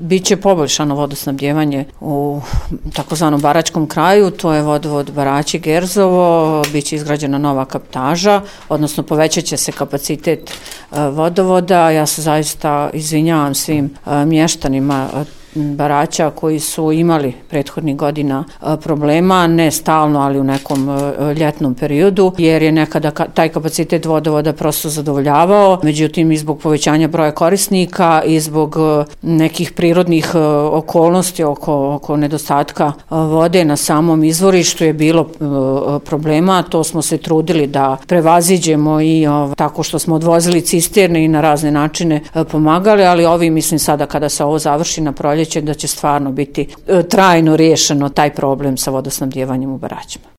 Biće poboljšano vodosnabdijevanje u takozvanom baračkom kraju, to je vodovod Baraći Gerzovo, biće izgrađena nova kaptaža, odnosno povećat će se kapacitet vodovoda. Ja se zaista izvinjavam svim mještanima Baraća koji su imali prethodnih godina problema, ne stalno, ali u nekom ljetnom periodu, jer je nekada taj kapacitet vodovoda prosto zadovoljavao. Međutim, i zbog povećanja broja korisnika i zbog nekih prirodnih okolnosti oko nedostatka vode na samom izvorištu je bilo problema. To smo se trudili da prevaziđemo i tako što smo odvozili cisterne i na razne načine pomagali, ali mislim sada kada se ovo završi na proljeće da će stvarno biti trajno riješeno taj problem sa vodosnabdijevanjem u Baraćima.